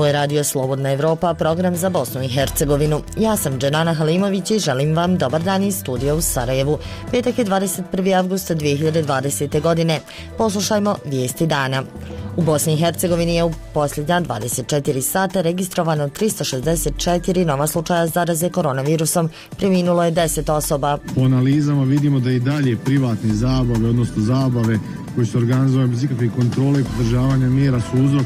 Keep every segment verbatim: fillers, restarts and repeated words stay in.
Ovo je Radio Slobodna Evropa, program za Bosnu i Hercegovinu. Ja sam Dženana Halimović i želim vam dobar dan iz studija u Sarajevu. Petak je dvadeset prvi avgust dvije hiljade dvadesete. godine. Poslušajmo vijesti dana. U Bosni i Hercegovini je u posljednja dvadeset četiri sata registrovano tristo šezdeset četiri nova slučaja zaraze koronavirusom. Preminulo je deset osoba. U analizama vidimo da i dalje privatne zabave, odnosno zabave koji su organizovane bez ikakve kontrole i pridržavanja mjera su uzrok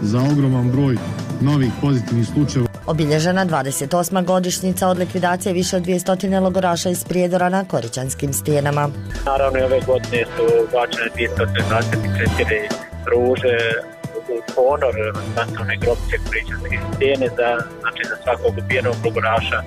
za ogroman broj novih pozitivnih slučajeva. Obilježena dvadeset osma godišnjica od likvidacije više od dvjesto logoraša iz Prijedora na Koričanskim stijenama. Naravno i ove godine su bačene dvjesto dvadeset četiri ruže u ponor masovne grobnice Koričanske stijene za, znači za svakog ubijenog logoraša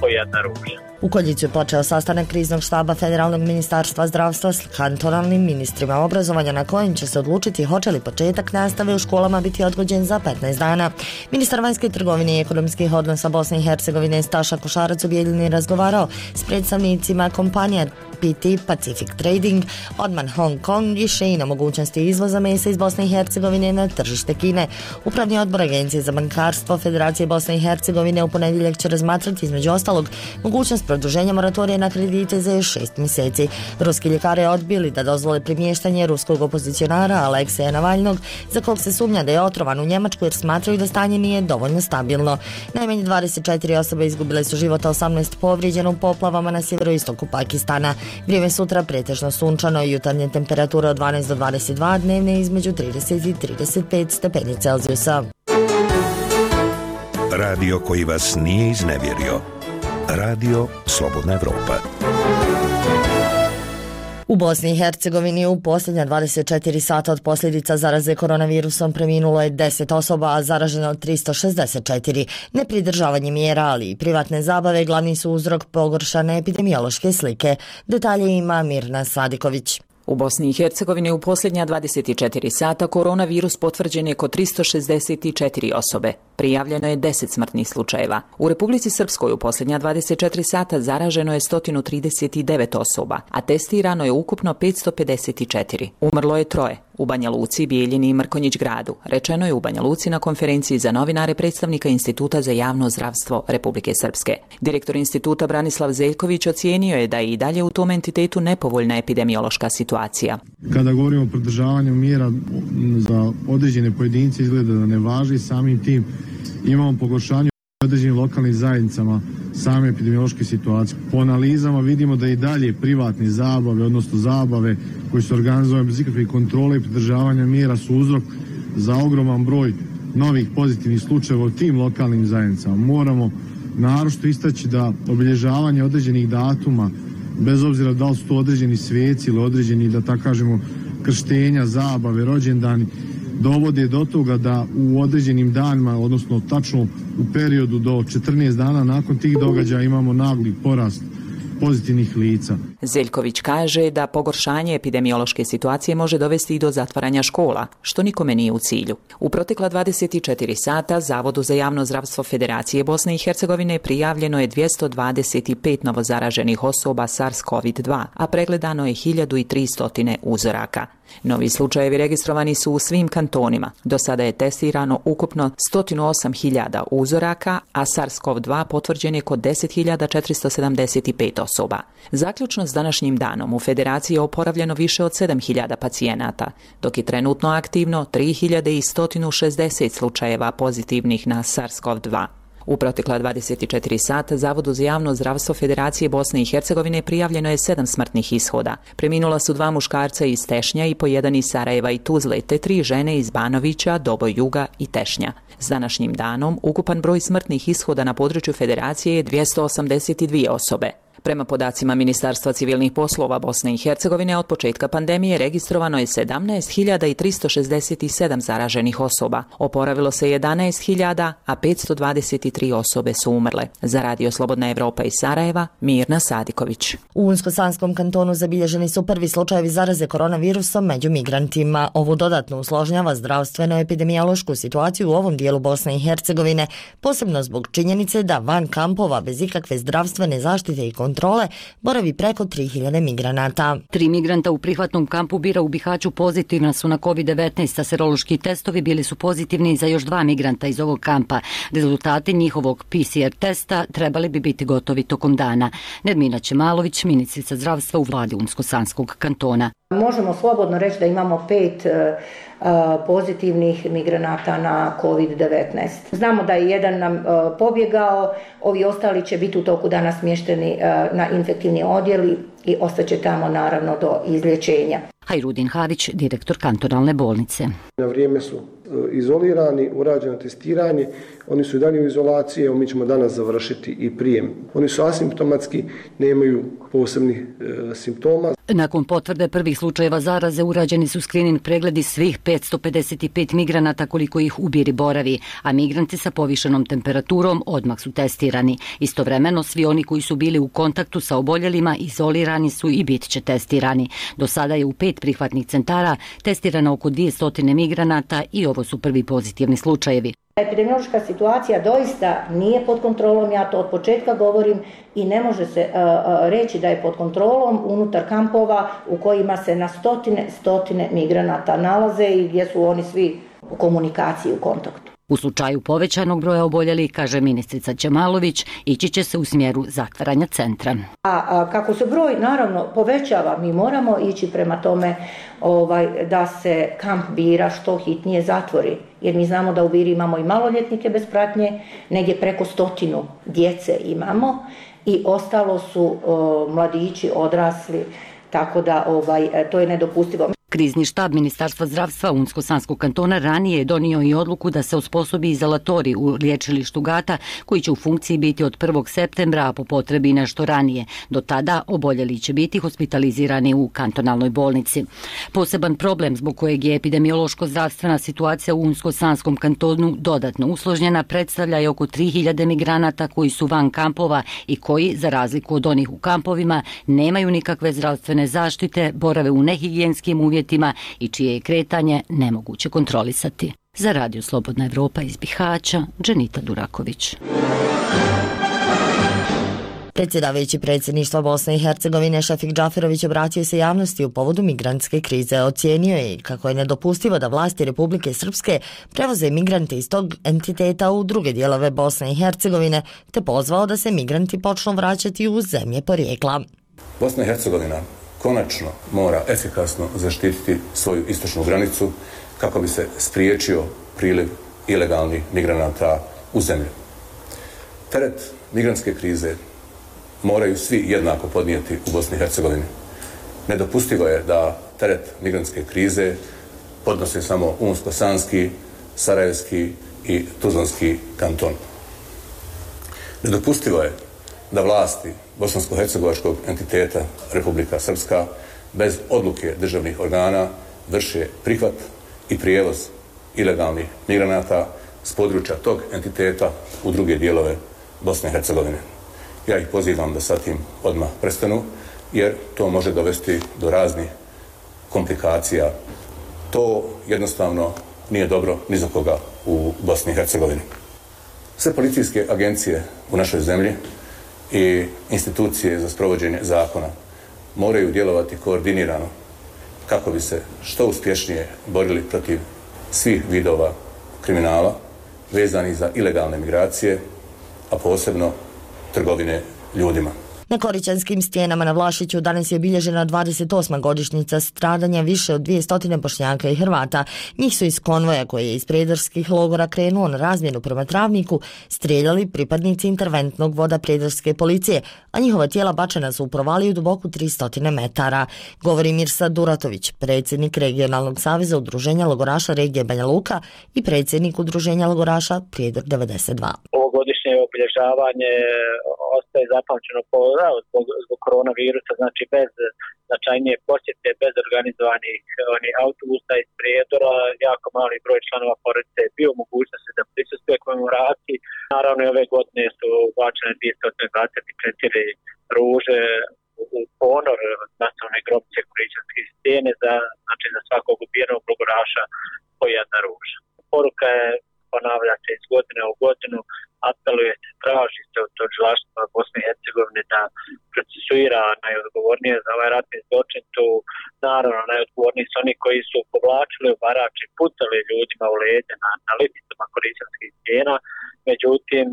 po jedna ruža. U Koljicu je počeo sastanak kriznog štaba Federalnog ministarstva zdravstva s kantonalnim ministrima obrazovanja na kojem će se odlučiti hoće li početak nastave u školama biti odgođen za petnaest dana. Ministar vanjske trgovine i ekonomskih odnosa Bosne i Hercegovine Staša Košarac u Bijeljini razgovarao s predstavnicima kompanija P T Pacific Trading, Odman Hong Kong i Shein o mogućnosti izvoza mesa iz Bosne i Hercegovine na tržište Kine. Upravni odbor Agencije za bankarstvo Federacije Bosne i Hercegovine u ponedjeljak će razmatrati između ostalog mogućnost produženja moratorija na kredite za još šest mjeseci. Ruski ljekari je odbili da dozvole premještanje ruskog opozicionara Alekseja Navalnog, za kog se sumnja da je otrovan u Njemačku jer smatraju da stanje nije dovoljno stabilno. Najmanje dvadeset četiri osobe izgubile su život, a osamnaest povrijeđeno u poplavama na sjeveroistoku Pakistana. Vrijeme sutra pretežno sunčano i jutarnje temperature od dvanaest do dvadeset dva, dnevne između trideset i trideset pet stepeni Celzijusa. Radio koji vas nije iznevjerio. Radio Slobodna Evropa. U Bosni i Hercegovini u posljednja dvadeset četiri sata od posljedica zaraze koronavirusom preminulo je deset osoba, a zaraženo tristo šezdeset četiri. Nepridržavanje mjera, ali i privatne zabave glavni su uzrok pogoršane epidemiološke slike. Detalje ima Mirna Sadiković. U Bosni i Hercegovini u posljednja dvadeset četiri sata koronavirus potvrđen je kod tristo šezdeset četiri osobe. Prijavljeno je deset smrtnih slučajeva. U Republici Srpskoj u posljednja dvadeset četiri sata zaraženo je sto trideset devet osoba, a testirano je ukupno petsto pedeset četiri. Umrlo je troje. U Banja Luci, Bijeljini i Mrkonjić gradu, rečeno je u Banja Luci na konferenciji za novinare predstavnika Instituta za javno zdravstvo Republike Srpske. Direktor instituta Branislav Zeljković ocijenio je da je i dalje u tom entitetu nepovoljna epidemiološka situacija. Kada govorimo o pridržavanju mjera za određene pojedince izgleda da ne važi, samim tim imamo pogoršanje u određenim lokalnim zajednicama same epidemiološke situacije. Po analizama vidimo da i dalje privatne zabave, odnosno zabave koji su organizovane bez ikakve kontrole i pridržavanja mjera su uzrok za ogroman broj novih pozitivnih slučajeva u tim lokalnim zajednicama. Moramo naročito istaći da obilježavanje određenih datuma, bez obzira da li su to određeni sveci ili određeni, da tako kažemo, krštenja, zabave, rođendani, dovode do toga da u određenim danima, odnosno tačno u periodu do četrnaest dana nakon tih događaja imamo nagli porast pozitivnih lica. Zeljković kaže da pogoršanje epidemiološke situacije može dovesti i do zatvaranja škola, što nikome nije u cilju. U protekla dvadeset četiri sata Zavodu za javno zdravstvo Federacije Bosne i Hercegovine prijavljeno je dvjesto dvadeset pet novozaraženih osoba SARS COVID dva, a pregledano je hiljadu tristo uzoraka. Novi slučajevi registrovani su u svim kantonima. Do sada je testirano ukupno sto osam hiljada uzoraka, a SARS CoV dva potvrđen je kod deset hiljada četiristo sedamdeset pet osoba. Zaključno s današnjim danom u Federaciji je oporavljeno više od sedam hiljada pacijenata, dok je trenutno aktivno tri hiljade sto šezdeset slučajeva pozitivnih na SARS CoV dva. U protekla dvadeset četiri sata Zavodu za javno zdravstvo Federacije Bosne i Hercegovine prijavljeno je sedam smrtnih ishoda. Preminula su dva muškarca iz Tešnja i po jedan iz Sarajeva i Tuzle, te tri žene iz Banovića, Doboj Juga i Tešnja. S današnjim danom ukupan broj smrtnih ishoda na području Federacije je dvjesto osamdeset dvije osobe. Prema podacima Ministarstva civilnih poslova Bosne i Hercegovine, od početka pandemije registrovano je sedamnaest hiljada tristo šezdeset sedam zaraženih osoba. Oporavilo se jedanaest hiljada, a petsto dvadeset tri osobe su umrle. Za Radio Slobodna Evropa iz Sarajeva, Mirna Sadiković. U Unsko-Sanskom kantonu zabilježeni su prvi slučajevi zaraze koronavirusom među migrantima. Ovo dodatno usložnjava zdravstveno-epidemiološku situaciju u ovom dijelu Bosne i Hercegovine, posebno zbog činjenice da van kampova bez ikakve zdravstvene zaštite i kontrole kontrole boravi preko tri hiljade migranata. Tri migranta u prihvatnom kampu Bira u Bihaću pozitivna su na kovid devetnaest, a serološki testovi bili su pozitivni za još dva migranta iz ovog kampa. Rezultati njihovog P C R testa trebali bi biti gotovi tokom dana. Nermina Čemalović, ministrica zdravstva u vladi Unsko-Sanskog kantona. Možemo slobodno reći da imamo pet uh, pozitivnih migranata na kovid devetnaest. Znamo da je jedan nam uh, pobjegao, ovi ostali će biti u toku dana smješteni uh, na infektivni odjel i ostaće tamo naravno do izlječenja. Hajrudin Harić, direktor kantonalne bolnice. Na vrijeme su izolirani, urađeno testiranje, oni su i dalje u izolaciji, evo mi ćemo danas završiti i prijem. Oni su asimptomatski, nemaju posebnih e, simptoma. Nakon potvrde prvih slučajeva zaraze urađeni su skrining pregledi svih petsto pedeset pet migranata koliko ih u Biri boravi, a migranti sa povišenom temperaturom odmah su testirani. Istovremeno svi oni koji su bili u kontaktu sa oboljelima izolirani su i bit će testirani. Do sada je u pet prihvatnih centara testirano oko dvjesto migranata i ovo su prvi pozitivni slučajevi. Epidemiološka situacija doista nije pod kontrolom, ja to od početka govorim i ne može se uh, reći da je pod kontrolom unutar kampova u kojima se na stotine, stotine migranata nalaze i gdje su oni svi u komunikaciji, u kontaktu. U slučaju povećanog broja oboljelih, kaže ministrica Čemalović, ići će se u smjeru zatvaranja centra. A, a kako se broj naravno povećava, mi moramo ići prema tome ovaj, da se kamp Bira što hitnije zatvori. Jer mi znamo da u Biri imamo i maloljetnike bez pratnje, negdje preko stotinu djece imamo i ostalo su o, mladići, odrasli, tako da ovaj, to je nedopustivo. Krizni štab Ministarstva zdravstva Unsko-Sanskog kantona ranije je donio i odluku da se osposobi izolatori u liječilištu Gata koji će u funkciji biti od prvog septembra, a po potrebi nešto ranije. Do tada oboljeli će biti hospitalizirani u kantonalnoj bolnici. Poseban problem zbog kojeg je epidemiološko-zdravstvena situacija u Unsko-Sanskom kantonu dodatno usložnjena predstavlja je oko tri hiljade migranata koji su van kampova i koji, za razliku od onih u kampovima, nemaju nikakve zdravstvene zaštite, borave u nehigijenskim uvjetima i čije je kretanje nemoguće kontrolisati. Za Radio Slobodna Evropa iz Bihaća, Dženita Duraković. Predsjedavajući predsjedništva Bosne i Hercegovine Šefik Džaferović obratio se javnosti u povodu migrantske krize. Ocijenio je kako je nedopustivo da vlasti Republike Srpske prevoze migrante iz tog entiteta u druge dijelove Bosne i Hercegovine, te pozvao da se migranti počnu vraćati u zemlje porijekla. Bosna i Hercegovina konačno mora efikasno zaštititi svoju istočnu granicu kako bi se spriječio priliv ilegalnih migranata u zemlju. Teret migrantske krize moraju svi jednako podnijeti u Bosni i Hercegovini. Nedopustivo je da teret migrantske krize podnose samo Unsko-Sanski, Sarajevski i Tuzlanski kanton. Nedopustivo je da vlasti bosansko-hercegovačkog entiteta Republika Srpska bez odluke državnih organa vrše prihvat i prijevoz ilegalnih migranata s područja tog entiteta u druge dijelove Bosne i Hercegovine. Ja ih pozivam da sa tim odmah prestanu, jer to može dovesti do raznih komplikacija. To jednostavno nije dobro ni za koga u Bosni i Hercegovini. Sve policijske agencije u našoj zemlji i institucije za sprovođenje zakona moraju djelovati koordinirano kako bi se što uspješnije borili protiv svih vidova kriminala vezanih za ilegalne migracije, a posebno trgovine ljudima. Na Korićanskim stijenama na Vlašiću danas je obilježena dvadeset osma godišnjica stradanja više od dvjesto Bošnjaka i Hrvata. Njih su iz konvoja koji je iz prijedarskih logora krenuo na razmjenu prema Travniku strijeljali pripadnici interventnog voda prijedarske policije, a njihova tijela bačena su u provaliju duboku tristo metara. Govori Mirsa Duratović, predsjednik regionalnog saveza udruženja logoraša regije Banja Luka i predsjednik udruženja logoraša Prijedor devedeset dva. Ovogodišnje obilježavanje ostaje zapamćeno po, zbog, zbog koronavirusa, znači bez značajnije posjete, bez organizovanih oni, autobusa iz Prijedora, jako mali broj članova porodice je bio mogućnosti da prisustvuje komemoraciji. Naravno i ove godine su bačene dvjesto dvadeset četiri ruže u ponor nacionalne grobice Korićanske stijene za, znači, za svakog ubijenog logoraša po jedna ruža. Poruka je, ponavlja se iz godine u godinu, apeluje se, traži se od tužilaštva Bosne i Hercegovine pravde da procesuira najodgovornije za ovaj ratni zločin. Tu naravno najodgovorniji su oni koji su povlačili u barač i pucali ljudima u leđa na, na lipicama Koričanskih stijena. Međutim,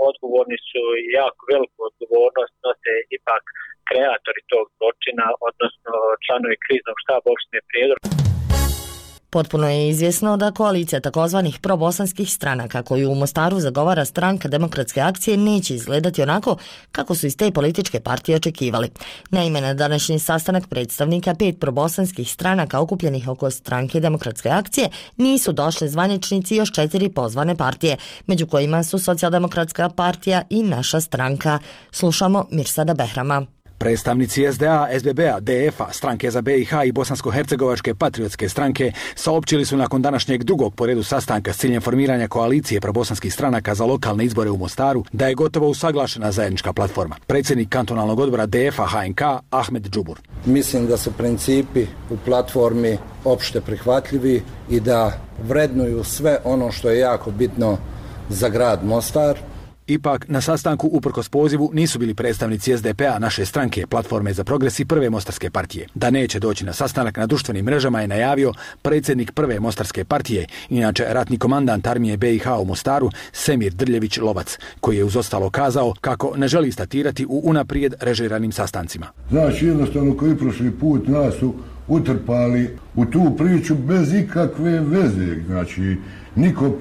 odgovorni su i jako veliku odgovornost nose ipak kreatori tog zločina, odnosno članovi kriznog štaba opštine Prijedor. Potpuno je izvjesno da koalicija takozvanih probosanskih stranaka koju u Mostaru zagovara Stranka demokratske akcije neće izgledati onako kako su iz te političke partije očekivali. Naime, na današnji sastanak predstavnika pet probosanskih stranaka okupljenih oko Stranke demokratske akcije nisu došli zvaničnici još četiri pozvane partije, među kojima su Socijaldemokratska partija i Naša stranka. Slušamo Mirsada Behrama. Predstavnici S D A, S B B-a, D F-a, Stranke za B i H i Bosansko-hercegovačke patriotske stranke saopćili su nakon današnjeg drugog po redu sastanka s ciljem formiranja koalicije probosanskih stranaka za lokalne izbore u Mostaru da je gotovo usaglašena zajednička platforma. Predsjednik kantonalnog odbora D F-a H N K Ahmed Džubur. Mislim da su principi u platformi opšte prihvatljivi i da vrednuju sve ono što je jako bitno za grad Mostar. Ipak, na sastanku uprkos pozivu nisu bili predstavnici S D P-a, Naše stranke, Platforme za progres i Prve mostarske partije. Da neće doći na sastanak na društvenim mrežama je najavio predsjednik Prve mostarske partije, inače ratni komandant armije B i H u Mostaru, Semir Drljević Lovac, koji je uz ostalo kazao kako ne želi statirati u unaprijed režiranim sastancima. Znači, jednostavno koji prošli put nas su utrpali u tu priču bez ikakve veze. Znači, niko,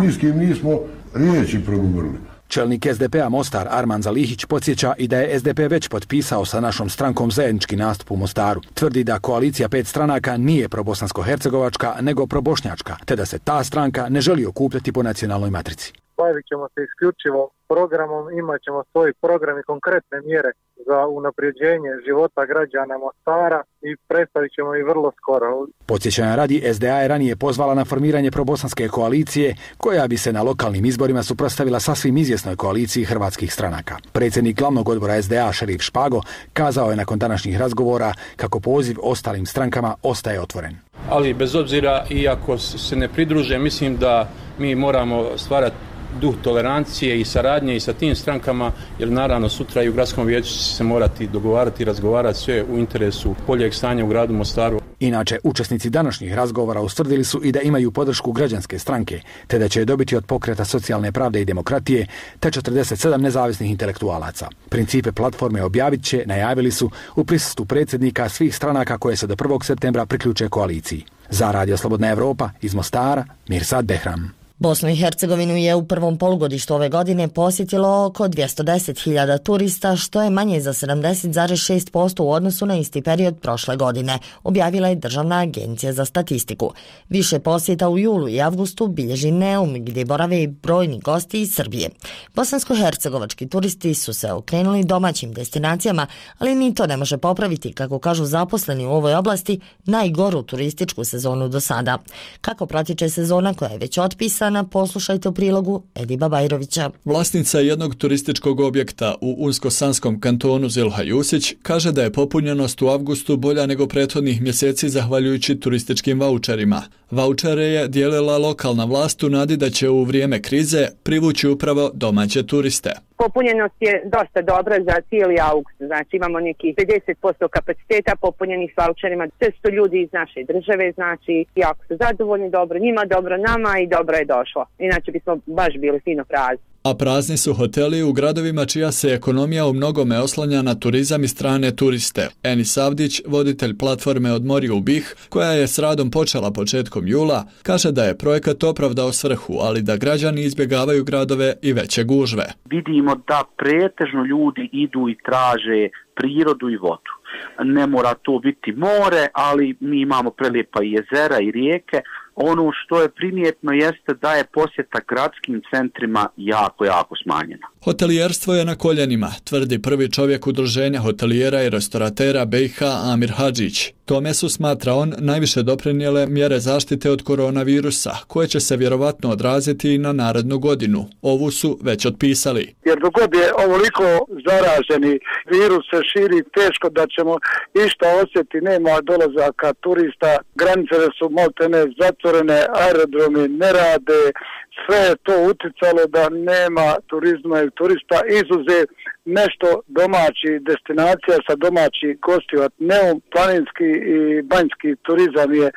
ni s kim nismo riječi progovorili. Čelnik S D P-a Mostar Arman Zalihić podsjeća i da je S D P već potpisao sa našom strankom zajednički nastup u Mostaru. Tvrdi da koalicija pet stranaka nije probosansko-hercegovačka, nego probošnjačka, te da se ta stranka ne želi okupljati po nacionalnoj matrici. Bavit ćemo se isključivo programom, imat ćemo svoj program i konkretne mjere za unapređenje života građana Mostara i predstavit ćemo i vrlo skoro. Podsjećanja radi, S D A je ranije pozvala na formiranje probosanske koalicije koja bi se na lokalnim izborima suprotstavila sasvim izvjesnoj koaliciji hrvatskih stranaka. Predsjednik glavnog odbora S D A Šerif Špago kazao je nakon današnjih razgovora kako poziv ostalim strankama ostaje otvoren. Ali bez obzira i ako se ne pridruže, mislim da mi moramo stvarati duh tolerancije i saradnje i sa tim strankama, jer naravno sutra i u gradskom vijeću će se morati dogovarati i razgovarati sve u interesu boljeg stanja u gradu Mostaru. Inače, učesnici današnjih razgovora ustvrdili su i da imaju podršku građanske stranke, te da će je dobiti od Pokreta socijalne pravde i demokratije, te četrdeset sedam nezavisnih intelektualaca. Principe platforme objavit će, najavili su, u prisustvu predsjednika svih stranaka koje se do prvog septembra priključe koaliciji. Za Radio Slobodna Evropa iz Mostara, Mirsad Behram. Bosnu i Hercegovinu je u prvom polugodištu ove godine posjetilo oko dvjesto deset hiljada turista, što je manje za sedamdeset zarez šest posto u odnosu na isti period prošle godine, objavila je Državna agencija za statistiku. Više posjeta u julu i avgustu bilježi Neum, gdje borave i brojni gosti iz Srbije. Bosansko-hercegovački turisti su se okrenuli domaćim destinacijama, ali ni to ne može popraviti, kako kažu zaposleni u ovoj oblasti, najgoru turističku sezonu do sada. Kako pratiče sezona koja je već otpisana, poslušajte u prilogu Ediba Bajrovića. Vlasnica jednog turističkog objekta u Unsko-Sanskom kantonu Zilha Jusić kaže da je popunjenost u avgustu bolja nego prethodnih mjeseci zahvaljujući turističkim vaučerima. Vaučere je dijelila lokalna vlast u nadi da će u vrijeme krize privući upravo domaće turiste. Popunjenost je dosta dobra za cijeli august, znači imamo nekih pedeset posto kapaciteta popunjenih s vaučerima. Sve su ljudi iz naše države, znači jako su zadovoljni, dobro njima, dobro nama i dobro je došlo. Inače bismo baš bili fino prazni. A prazni su hoteli u gradovima čija se ekonomija u mnogome oslanja na turizam i strane turiste. Enis Avdić, voditelj platforme Odmori u Bih, koja je s radom počela početkom jula, kaže da je projekat opravdao svrhu, ali da građani izbjegavaju gradove i veće gužve. Vidimo da pretežno ljudi idu i traže prirodu i vodu. Ne mora to biti more, ali mi imamo prelijepa i jezera i rijeke. Ono što je primjetno jeste da je posjeta gradskim centrima jako, jako smanjena. Hotelijerstvo je na koljenima, tvrdi prvi čovjek udruženja hotelijera i restoratera B i H Amir Hadžić. Tome su, smatra on, najviše doprinijele mjere zaštite od koronavirusa, koje će se vjerovatno odraziti i na narednu godinu. Ovu su već otpisali. Jer dok god je ovoliko zaraženi virus se širi, teško da će nećemo išta osjeti, nema dolazaka turista, granice su maltene zatvorene, aerodromi ne rade, sve je to uticalo da nema turizma i turista, izuzev nešto domaći destinacija sa domaći gostiju, Neum, planinski i banjski turizam je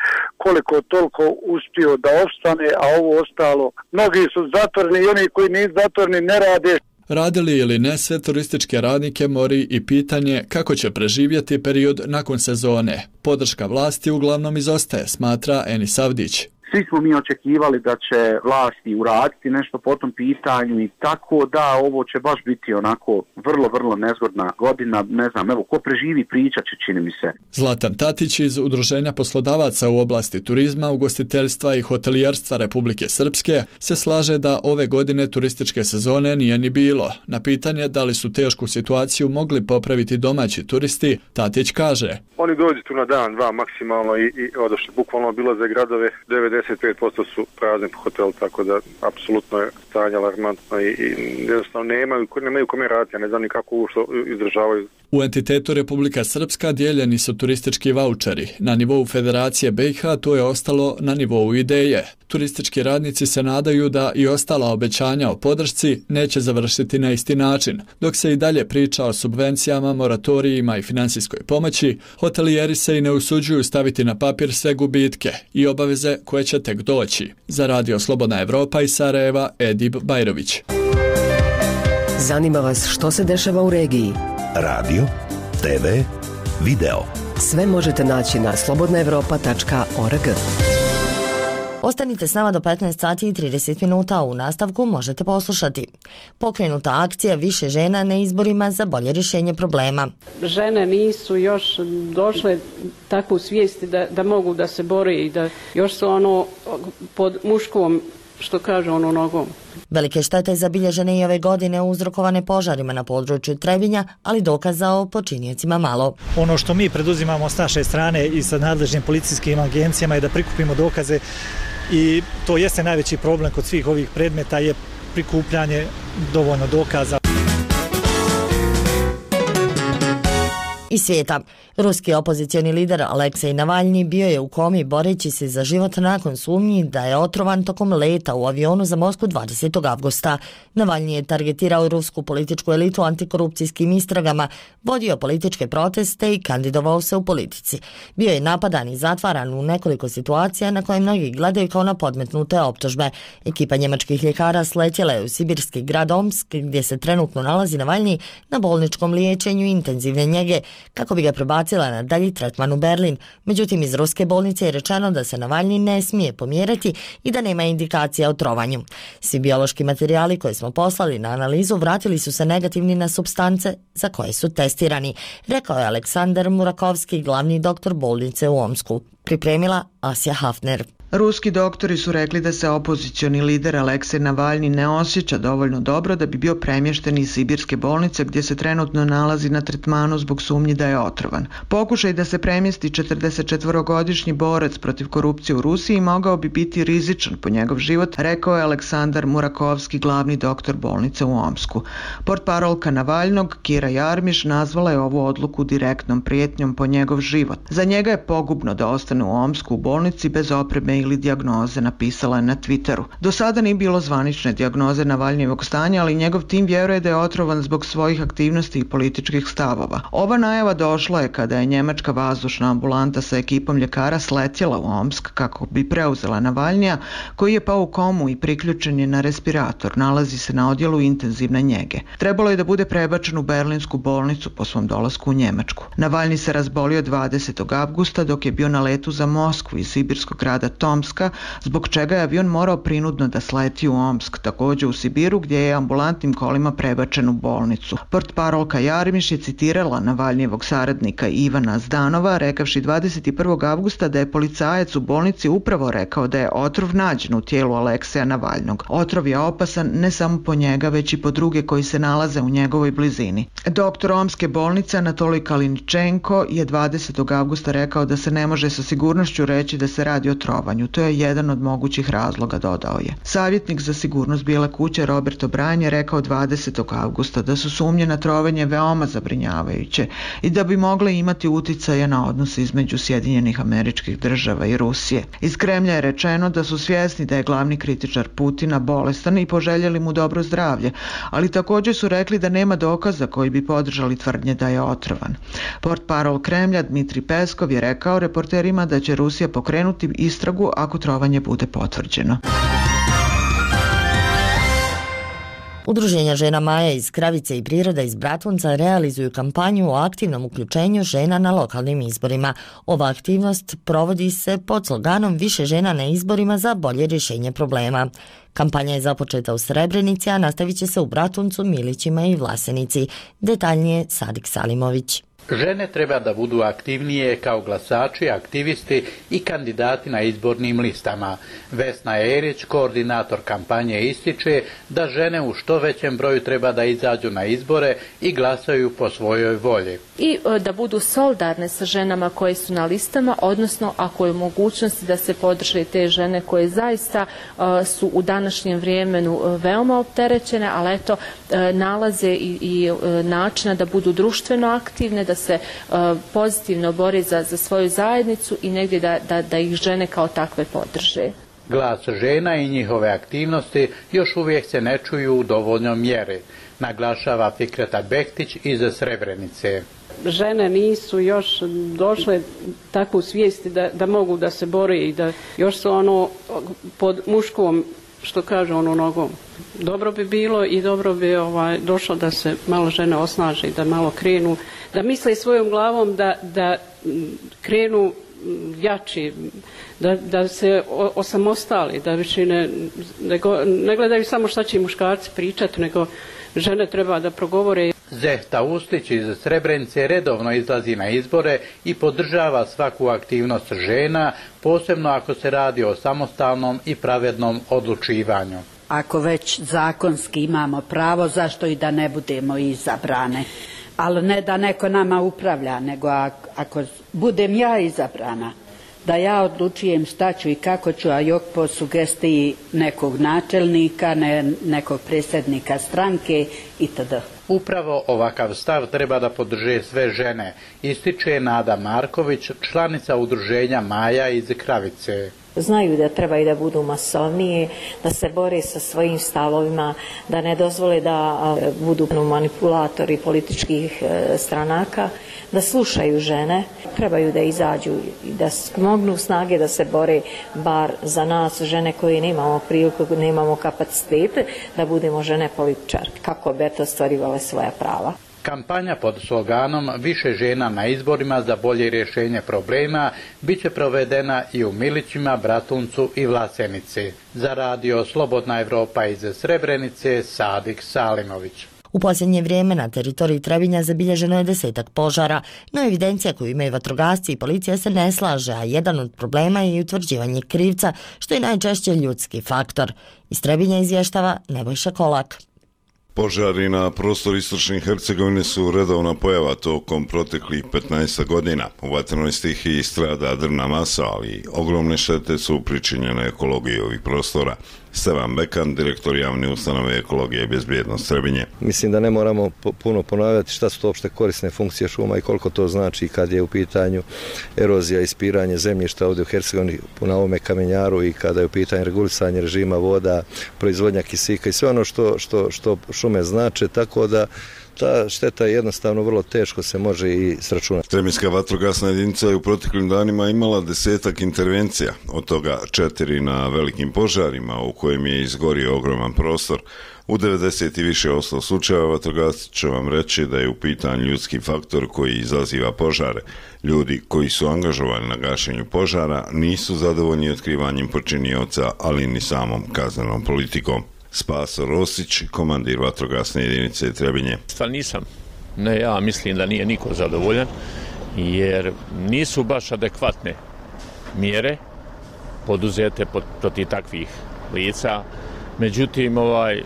koliko toliko uspio da opstane, a ovo ostalo, mnogi su zatvoreni i oni koji nisu zatvoreni ne rade. Radili ili ne, sve turističke radnike mori i pitanje kako će preživjeti period nakon sezone. Podrška vlasti uglavnom izostaje, smatra Enis Avdić. Svi smo mi očekivali da će vlasti uraditi nešto po tom pitanju i tako da ovo će baš biti onako vrlo, vrlo nezgodna godina. Ne znam, evo, ko preživi pričat će, čini mi se. Zlatan Tatić iz Udruženja poslodavaca u oblasti turizma, ugostiteljstva i hotelijerstva Republike Srpske se slaže da ove godine turističke sezone nije ni bilo. Na pitanje da li su tešku situaciju mogli popraviti domaći turisti, Tatić kaže: Oni dođu tu na dan, dva maksimalno i, i odošli. Bukvalno obilaze gradove, devedeset pet posto su prazni hotel, tako da apsolutno je stanje alarmantno i, i jednostavno nemaju, nemaju kome raditi, ne znam ni kako ušto izdržavaju. U entitetu Republika Srpska dijeljeni su turistički vaučeri. Na nivou Federacije B i H to je ostalo na nivou ideje. Turistički radnici se nadaju da i ostala obećanja o podršci neće završiti na isti način. Dok se i dalje priča o subvencijama, moratorijima i finansijskoj pomoći, hotelijeri se i ne usuđuju staviti na papir sve gubitke i obaveze koje će tek doći. Za Radio Slobodna Evropa iz Sarajeva, Edib Bajrović. Zanima vas što se dešava u regiji? Radio, te ve, video. Sve možete naći na slobodna evropa tačka org. Ostanite s nama do petnaest sati i trideset minuta, a u nastavku možete poslušati. Pokrenuta akcija Više žena na izborima za bolje rješenje problema. Žene nisu još došle takvu svijesti da, da mogu da se bore i da još su ono pod muškom, što kaže, ono nogom. Velike štete zabilježene i ove godine uzrokovane požarima na području Trebinja, ali dokaza o počinjecima malo. Ono što mi preduzimamo s naše strane i sa nadležnim policijskim agencijama je da prikupimo dokaze i to jeste najveći problem kod svih ovih predmeta je prikupljanje dovoljno dokaza. Iz svijeta. Ruski opozicioni lider Aleksej Navalni bio je u komi boreći se za život nakon sumnji da je otrovan tokom leta u avionu za Moskvu dvadesetog avgusta. Navalni je targetirao rusku političku elitu antikorupcijskim istragama, vodio političke proteste i kandidovao se u politici. Bio je napadan i zatvaran u nekoliko situacija na koje mnogi gledaju kao na podmetnute optužbe. Ekipa njemačkih ljekara sletjela je u sibirski grad Omsk, gdje se trenutno nalazi Navalni na bolničkom liječenju intenzivne njege, kako bi ga prebacila na dalji tretman u Berlin. Međutim, iz ruske bolnice je rečeno da se Navalni ne smije pomjerati i da nema indikacija o trovanju. Svi biološki materijali koje smo poslali na analizu vratili su se negativni na supstance za koje su testirani, rekao je Aleksandar Murakovski, glavni doktor bolnice u Omsku. Pripremila Asja Hafner. Ruski doktori su rekli da se opozicioni lider Aleksej Navalni ne osjeća dovoljno dobro da bi bio premješten iz sibirske bolnice gdje se trenutno nalazi na tretmanu zbog sumnji da je otrovan. Pokušaj da se premjesti četrdesetčetvorogodišnji borac protiv korupcije u Rusiji mogao bi biti rizičan po njegov život, rekao je Aleksandar Murakovski, glavni doktor bolnice u Omsku. Portparolka Navalnog, Kira Jarmiš, nazvala je ovu odluku direktnom prijetnjom po njegov život. Za njega je pogubno da ostane u Omsku u bolnici bez opreme ili dijagnoze, napisala je na Twitteru. Do sada nije bilo zvanične dijagnoze Navalnijevog stanja, ali njegov tim vjeruje da je otrovan zbog svojih aktivnosti i političkih stavova. Ova najava došla je kada je njemačka vazdušna ambulanta sa ekipom ljekara sletjela u Omsk kako bi preuzela Navalnija, koji je pao u komu i priključen je na respirator. Nalazi se na odjelu intenzivne njege. Trebalo je da bude prebačen u berlinsku bolnicu po svom dolasku u Njemačku. Navalni se razbolio dvadesetog avgusta dok je bio na letu za Moskvu iz sibirskog grada Tomska, zbog čega je avion morao prinudno da sleti u Omsk, također u Sibiru, gdje je ambulantnim kolima prebačen u bolnicu. Portparolka Jarmiš je citirala Navalnijevog saradnika Ivana Zdanova, rekavši dvadeset prvog avgusta da je policajac u bolnici upravo rekao da je otrov nađen u tijelu Alekseja Navalnog. Otrov je opasan ne samo po njega, već i po druge koji se nalaze u njegovoj blizini. Doktor Omske bolnice Anatolij Kaliničenko je dvadesetog avgusta rekao da se ne može sa sigurnošću reći da se radi o trovanju. trovanju. To je jedan od mogućih razloga, dodao je. Savjetnik za sigurnost Bijele kuće Robert O'Brien je rekao dvadesetog avgusta da su sumnje na trovanje veoma zabrinjavajuće i da bi mogle imati uticaje na odnose između Sjedinjenih Američkih Država i Rusije. Iz Kremlja je rečeno da su svjesni da je glavni kritičar Putina bolestan i poželjeli mu dobro zdravlje, ali također su rekli da nema dokaza koji bi podržali tvrdnje da je otrovan. Portparol Kremlja Dmitri Peskov je rekao reporterima da će Rusija pokrenuti istragu ako trovanje bude potvrđeno. Udruženja žena Maja iz Kravice i Priroda iz Bratunca realizuju kampanju o aktivnom uključenju žena na lokalnim izborima. Ova aktivnost provodi se pod sloganom Više žena na izborima za bolje rješenje problema. Kampanja je započeta u Srebrenici, a nastavit će se u Bratuncu, Milićima i Vlasenici. Detaljnije Sadik Salimović. Žene treba da budu aktivnije kao glasači, aktivisti i kandidati na izbornim listama. Vesna Erić, koordinator kampanje, ističe da žene u što većem broju treba da izađu na izbore i glasaju po svojoj volji. I da budu solidarne sa ženama koje su na listama, odnosno ako je mogućnosti da se podrže te žene koje zaista su u današnjem vremenu veoma opterećene, ali eto nalaze i, i načina da budu društveno aktivne, da se uh, pozitivno bore za, za svoju zajednicu i negdje da, da, da ih žene kao takve podrže. Glas žena i njihove aktivnosti još uvijek se ne čuju u dovoljnoj mjeri, naglašava Fikreta Bektić iz Srebrenice. Žene nisu još došle takvu svijesti da, da mogu da se bore i da još su ono pod muškom, što kaže ono, nogom. Dobro bi bilo i dobro bi ovaj, došlo da se malo žene osnaže, da malo krenu, da misle svojom glavom, da, da krenu jači, da, da se osamostali, da više ne, nego, ne gledaju samo šta će muškarci pričati, nego žene treba da progovore. Zehta Ustić iz Srebrenice redovno izlazi na izbore i podržava svaku aktivnost žena, posebno ako se radi o samostalnom i pravednom odlučivanju. Ako već zakonski imamo pravo, zašto i da ne budemo izabrane? Ali ne da neko nama upravlja, nego ako budem ja izabrana, da ja odlučujem šta ću i kako ću, a jok po sugestiji nekog načelnika, ne, nekog predsjednika stranke itd. Upravo ovakav stav treba da podrže sve žene, ističe Nada Marković, članica udruženja Maja iz Kravice. Znaju da treba i da budu masovnije, da se bore sa svojim stavovima, da ne dozvole da budu manipulatori političkih stranaka, da slušaju žene, trebaju da izađu i da smognu snage da se bore bar za nas, žene koje nemamo priliku, nemamo kapacitete, da budemo žene političarke, kako bi to ostvarivale svoja prava. Kampanja pod sloganom Više žena na izborima za bolje rješenje problema bit će provedena i u Milićima, Bratuncu i Vlasenici. Za radio Slobodna Evropa iz Srebrenice, Sadik Salimović. U posljednje vrijeme na teritoriji Trebinja zabilježeno je desetak požara, no evidencija koju imaju vatrogasci i policija se ne slaže, a jedan od problema je i utvrđivanje krivca, što je najčešće ljudski faktor. Iz Trebinja izvještava Nebojša Kolak. Požari na prostoru istočne Hercegovine su redovna pojava tokom proteklih petnaest godina. U vatrenoj stihiji strada drvna masa, ali ogromne štete su pričinjene ekologiji ovih prostora. Stevan Bekan, direktor javne ustanove Ekologije i bezbjednost Trebinje. Mislim da ne moramo puno ponavljati šta su to opšte korisne funkcije šuma i koliko to znači kad je u pitanju erozija i ispiranje zemljišta ovdje u Hercegovini na ovome kamenjaru i kada je u pitanju regulisanje režima voda, proizvodnja kisika i sve ono što, što, što šume znače, tako da ta šteta je jednostavno vrlo teško se može i sračunati. Trebinjska vatrogasna jedinica je u proteklim danima imala desetak intervencija, od toga četiri na velikim požarima u kojem je izgorio ogroman prostor. U devedeset i više ostalo slučajeva vatrogasci će vam reći da je u pitanju ljudski faktor koji izaziva požare. Ljudi koji su angažovani na gašenju požara nisu zadovoljni otkrivanjem počinioca, ali ni samom kaznenom politikom. Spaso Rosić, komandir vatrogasne jedinice Trebinje. Stvar nisam. Ne, ja mislim da nije niko zadovoljan, jer nisu baš adekvatne mjere poduzete protiv takvih lica. Međutim, ovaj,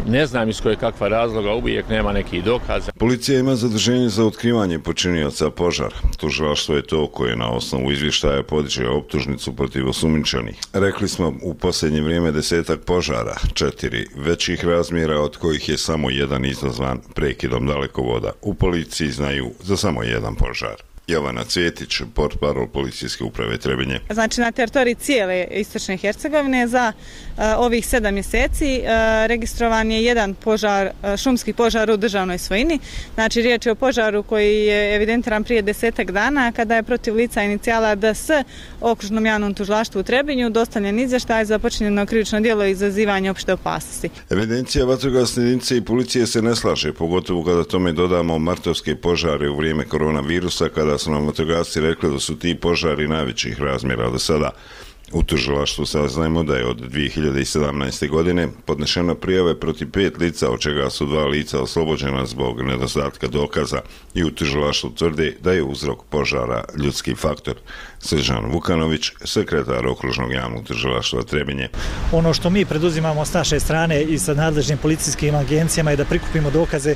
Ne znam iz koje kakva razloga, uvijek nema nekih dokaza. Policija ima zaduženje za otkrivanje počinioca požara. Tužilaštvo je to koje na osnovu izvještaja podiže optužnicu protiv osumnjičenih. Rekli smo u posljednje vrijeme desetak požara, četiri većih razmjera, od kojih je samo jedan izazvan prekidom dalekovoda. U policiji znaju za samo jedan požar. Jovana Cvjetić, portparol policijske uprave Trebinje. Znači na teritoriji cijele istočne Hercegovine za uh, ovih sedam mjeseci uh, registrovan je jedan požar, uh, šumski požar u državnoj svojini. Znači riječ je o požaru koji je evidentiran prije desetak dana kada je protiv lica inicijala D S Okružnom javnom tužilaštvu u Trebinju dostavljen izvještaj za počinjeno krivično djelo izazivanja opšte opasnosti. Evidencija vatrogasne jedinice i policije se ne slaže, pogotovo kada tome dodamo martovske požare u vrijeme koronavirusa, kada su nam vatrogasci rekli da su ti požari najvećih razmjera do sada. U tužilaštvu saznajemo da je od dvije hiljade sedamnaeste. godine podnešeno prijave protiv pet lica, od čega su dva lica oslobođena zbog nedostatka dokaza, i u tužilaštvu tvrde da je uzrok požara ljudski faktor. Srđan Vukanović, sekretar Okružnog javnog tužilaštva Trebinje. Ono što mi preduzimamo s naše strane i sa nadležnim policijskim agencijama je da prikupimo dokaze,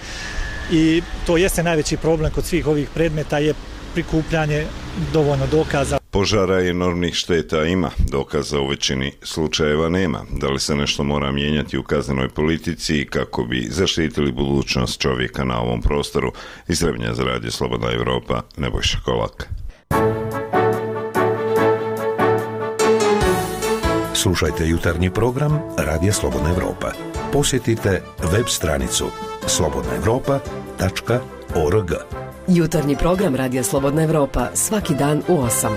i to jeste najveći problem kod svih ovih predmeta, je prikupljanje dovoljno dokaza. Požara i enormnih šteta ima, dokaza u većini slučajeva nema. Da li se nešto mora mijenjati u kaznenoj politici kako bi zaštitili budućnost čovjeka na ovom prostoru? Iz Trebinja za Radio Slobodna Evropa, Nebojša Kolak. Slušajte jutarnji program Radija Slobodna Evropa. Posjetite web stranicu slobodna evropa tačka org. Jutarnji program Radija Slobodna Evropa svaki dan u osam.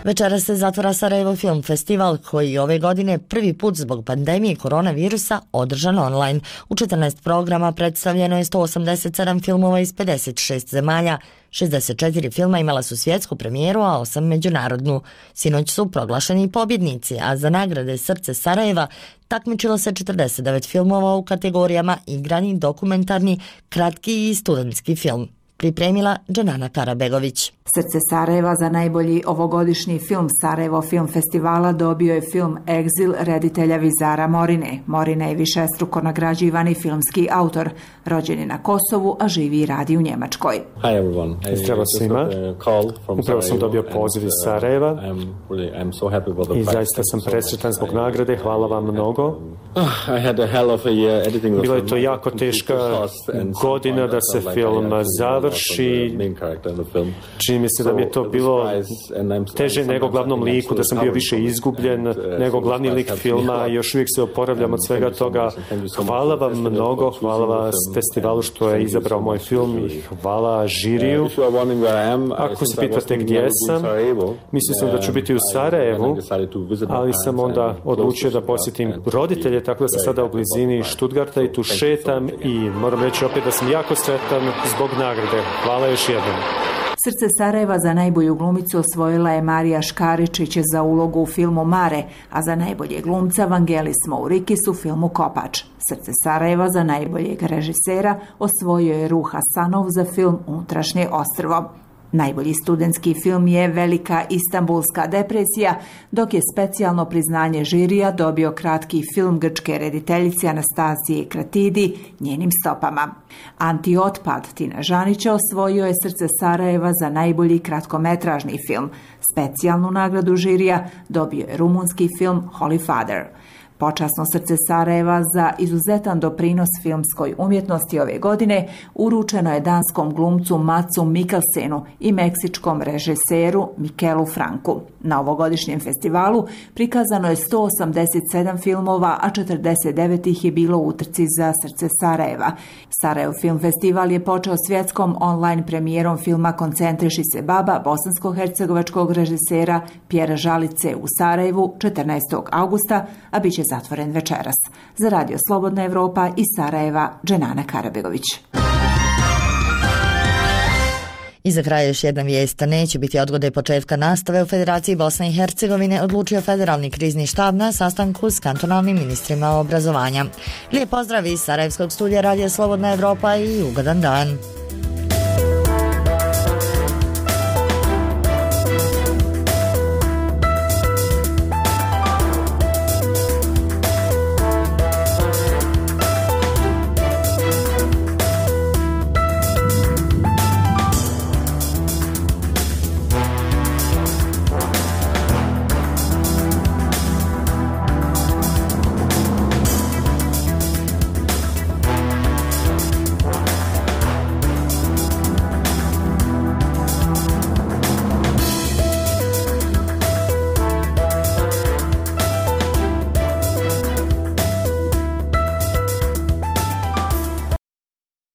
Večeras se zatvara Sarajevo Film Festival, koji ove godine prvi put zbog pandemije koronavirusa održan online. U četrnaest programa predstavljeno je sto osamdeset sedam filmova iz pedeset šest zemalja. šezdeset četiri filma imala su svjetsku premijeru, a osam međunarodnu. Sinoć su proglašeni pobjednici, a za nagrade Srce Sarajeva takmičilo se četrdeset devet filmova u kategorijama igrani, dokumentarni, kratki i studentski film. Pripremila Dženana Karabegović. Srce Sarajeva za najbolji ovogodišnji film Sarajevo Film Festivala dobio je film Egzil reditelja Vizara Morine. Morina je višestruko nagrađivani filmski autor, rođen je na Kosovu, a živi i radi u Njemačkoj. Zdravo svima, upravo sam dobio poziv iz Sarajeva i zaista sam presretan zbog nagrade, hvala vam mnogo. Bilo je to jako teška godina da se film završi. Čini mi se da mi je to bilo teže nego glavnom liku, da sam bio više izgubljen nego glavni lik filma i još uvijek se oporavljam od svega toga. Hvala vam mnogo, hvala vas festivalu što je izabrao moj film i hvala žiriju. Ako se pitate gdje sam, mislio sam da ću biti u Sarajevu, ali sam onda odlučio da posjetim roditelje, tako da sam sada u blizini Stuttgarta i tu šetam i moram reći opet da sam jako sretan zbog nagrade. Hvala još jednom. Srce Sarajeva za najbolju glumicu osvojila je Marija Škaričić za ulogu u filmu Mare, a za najbolje glumca Vangelis Mourikis u filmu Kopač. Srce Sarajeva za najboljeg režisera osvojio je Ruh Hasanov za film Unutrašnje ostrvo. Najbolji studentski film je Velika Istanbulska depresija, dok je specijalno priznanje žirija dobio kratki film grčke rediteljice Anastasije Kratidi Njenim stopama. Antiotpad Tina Žanića osvojio je Srce Sarajeva za najbolji kratkometražni film. Specijalnu nagradu žirija dobio je rumunski film Holy Father. Počasno Srce Sarajeva za izuzetan doprinos filmskoj umjetnosti ove godine uručeno je danskom glumcu Matsu Mikkelsenu i meksičkom režiseru Mikelu Franku. Na ovogodišnjem festivalu prikazano je sto osamdeset sedam filmova, a četrdeset devet ih je bilo u utrci za Srce Sarajeva. Sarajevo Film Festival je počeo svjetskom online premijerom filma Koncentriši se baba bosansko-hercegovačkog režisera Pjera Žalice u Sarajevu četrnaestog augusta, a bit će zatvoren večeras. Za Radio Slobodna Evropa iz Sarajeva, Dženana Karabegović. I za kraj još jedna vijest. Neće biti odgode početka nastave u Federaciji Bosne i Hercegovine, odlučio Federalni krizni štab na sastanku s kantonalnim ministrima obrazovanja. Lijep pozdrav iz Sarajevskog studija Radio Slobodna Evropa i ugodan dan.